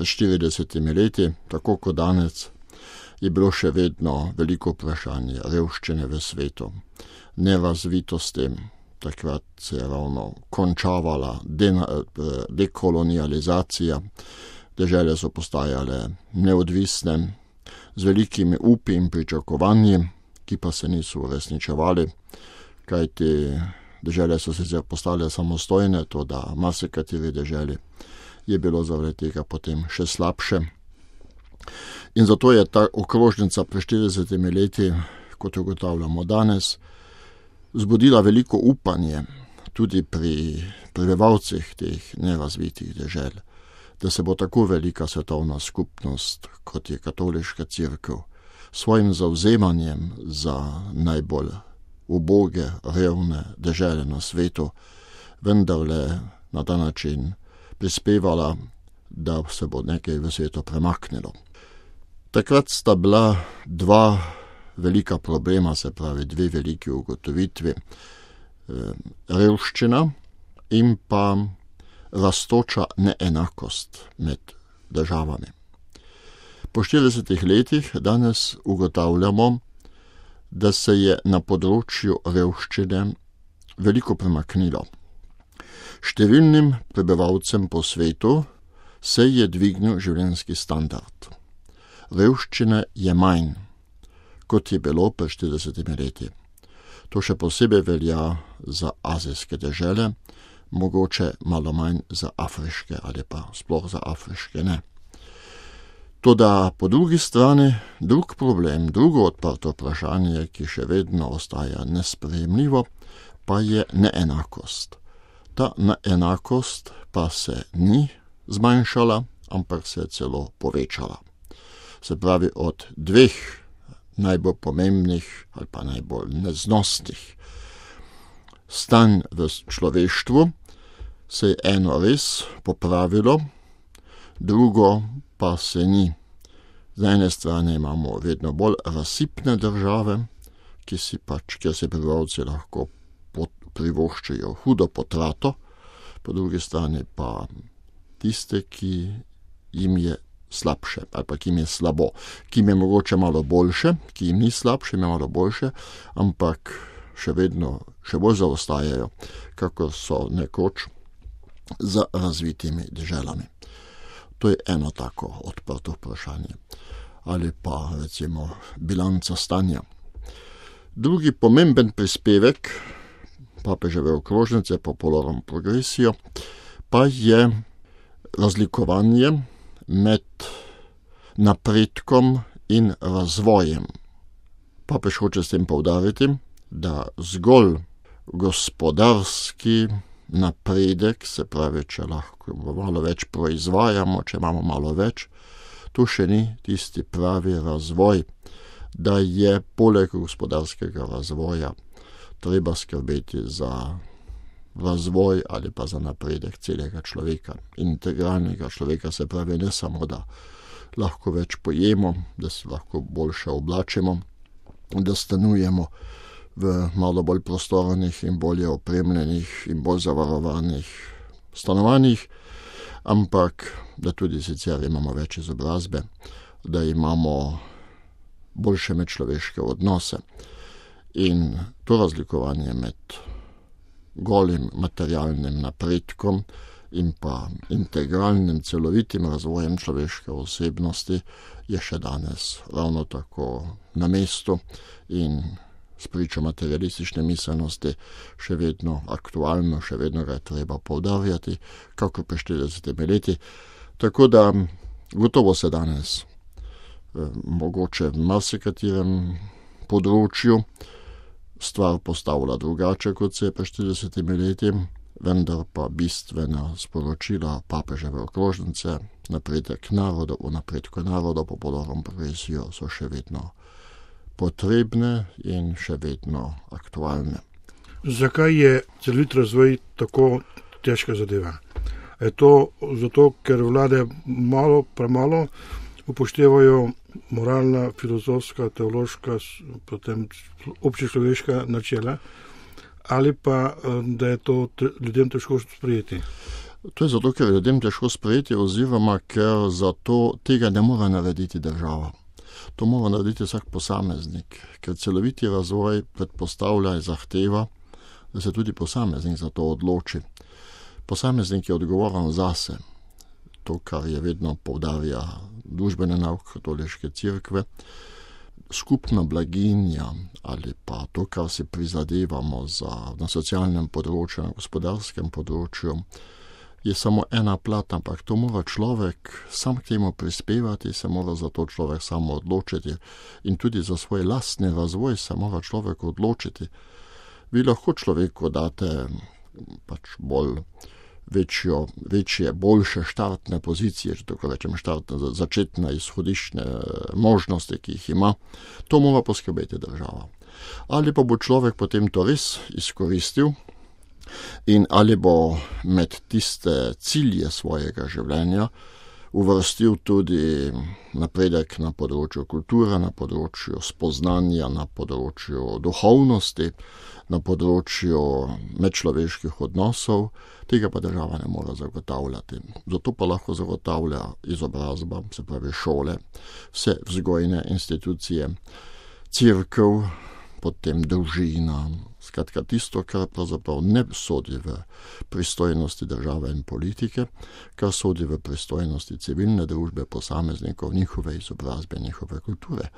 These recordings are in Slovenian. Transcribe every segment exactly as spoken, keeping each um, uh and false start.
pred štiridesetimi leti, tako kot danes, je bilo še vedno veliko vprašanje revščine v svetu, nerazvitosti. Takrat se je ravno končavala dekolonializacija, dežele so postajale neodvisne, z velikimi upi in pričakovanji, ki pa se niso uresničevali, kajti dežele so sicer postale samostojne, to da marsikateri deželi je bilo zaradi tega potem še slabše. In zato je ta okrožnica pred štiridesetimi leti, kot ugotavljamo danes, zbudila veliko upanje tudi pri prebivalcih teh nerazvitih dežel, da se bo tako velika svetovna skupnost, kot je katoliška cerkev, svojim zavzemanjem za najbolj uboge, revne dežele na svetu, vendarle na ta način prispevala, da se bo nekaj v svetu premaknilo. Takrat sta bila dva velika problema, se pravi dve veliki ugotovitvi, revščina in pa rastoča neenakost med državami. Po štiridesetih letih danes ugotavljamo, da se je na področju revščine veliko premaknilo. Številnim prebivalcem po svetu se je dvignil življenjski standard. Revščine je manj, kot je bilo pred štiridesetimi leti. To še posebej velja za azijske dežele, mogoče malo manj za afriške ali pa sploh za afriške ne. Toda po drugi strani drug problem, drugo odprto vprašanje, ki še vedno ostaja nesprejemljivo, pa je neenakost. Ta neenakost pa se ni zmanjšala, ampak se je celo povečala. Se pravi, od dveh najbolj pomembnih ali pa najbolj neznosnih stanj v človeštvu se je eno res popravilo, drugo pa se ni. Z ene strani imamo vedno bolj razsipne države, ki si pač, kjer se prebivalci lahko privoščijo hudo potrato, po drugi strani pa tiste, ki jim je slabše, ali pa ki jim je slabo, ki jim je mogoče malo boljše, ki jim ni slabše, jim je malo boljše, ampak še vedno, še bolj zaostajajo, kakor so nekoč za razvitimi deželami. To je eno tako odprto vprašanje. Ali pa recimo bilanca stanja. Drugi pomemben prispevek papeževe okrožnice Popolorum Progressio pa je razlikovanje med napredkom in razvojem. Papež hoče s tem poudariti, da zgolj gospodarski napredek, se pravi, če lahko malo več proizvajamo, če imamo malo več, to še ni tisti pravi razvoj, da je poleg gospodarskega razvoja treba skrbeti za razvoj ali pa za napredek celega človeka, integralnega človeka, se pravi, ne samo, da lahko več pojemo, da se lahko boljše oblačimo, da stanujemo v malo bolj prostornih in bolje opremljenih in bolj zavarovanih stanovanjih, ampak da tudi sicer imamo več izobrazbe, da imamo boljše medčloveške odnose. In to razlikovanje med golim materialnim napredkom in pa integralnim celovitim razvojem človeške osebnosti je še danes ravno tako na mestu in spričo materialistične miselnosti še vedno aktualno, še vedno ga je treba poudarjati, kako pred štiridesetimi leti. Tako da gotovo se danes eh, mogoče v marsikaterem področju stvar postavlja drugače, kot se je pred štiridesetimi leti, vendar pa bistvena sporočila papeževe okrožnice, napredek narodov, v napredku narodov, Popolorum Progressio so še vedno potrebne in še vedno aktualne. Zakaj je celovit razvoj tako težka zadeva? Je to zato, ker vlade malo, premalo upoštevajo moralna, filozofska, teološka, potem občečloveška načela, ali pa da je to ljudem težko sprejeti? To je zato, ker ljudem težko sprejeti oziroma ker zato tega ne more narediti država. To mora narediti vsak posameznik, ker celoviti razvoj predpostavlja in zahteva, da se tudi posameznik za to odloči. Posameznik je odgovoren zase. To, kar je vedno poudarja družbene nauk katoliške cerkve, skupna blaginja ali pa to, kar si prizadevamo za, na socialnem področju, na gospodarskem področju, je samo ena plat, ampak to mora človek sam k temu prispevati, se mora za to človek samo odločiti in tudi za svoj lastni razvoj se mora človek odločiti. Vi lahko človeku date pač bolj večjo, večje, boljše štartne pozicije, če tako rečem, štartne, začetne izhodišne možnosti, ki jih ima, to mora poskrbeti država. Ali pa bo človek potem to res izkoristil in ali bo med tiste cilje svojega življenja uvrstil tudi napredek na področju kulture, na področju spoznanja, na področju duhovnosti, na področju medčloveških odnosov, tega pa država ne more zagotavljati. Zato pa lahko zagotavlja izobrazba, se pravi šole, vse vzgojne institucije, cerkev, potem družina, skratka tisto, kar pravzaprav ne sodi v pristojnosti države in politike, kar sodi v pristojnosti civilne družbe, posameznikov, njihove izobrazbe, njihove kulture.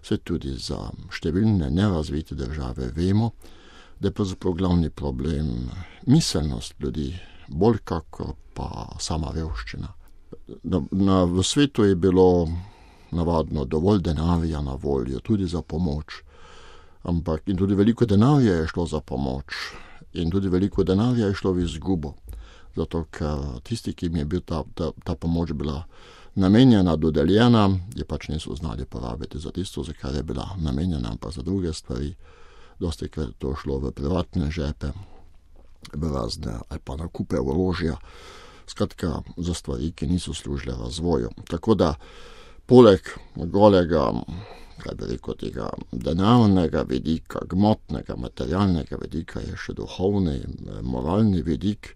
Se tudi za številne nerazvite države vemo, da je pravzaprav glavni problem miselnost ljudi, bolj kakor pa sama revščina. Na, na, v svetu je bilo navadno dovolj denarja na voljo, tudi za pomoč. Ampak in tudi veliko denarja je šlo za pomoč in tudi veliko denarja je šlo v izgubo, zato ker tisti, ki jim je bil ta, ta, ta pomoč bila namenjena, dodeljena, je pač niso znali porabiti za tisto, za kar je bila namenjena, pa za druge stvari. Dosti krat to šlo v privatne žepe, v razne ali pa nakupe orožja, skratka za stvari, ki niso služile razvoju. Tako da poleg golega, kaj bi rekel, tega denarnega vidika, gmotnega, materialnega vidika je še duhovni, moralni vidik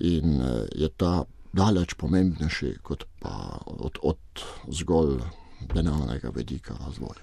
in je ta daleč pomembnejši kot pa od, od zgolj denarnega vidika razvoja.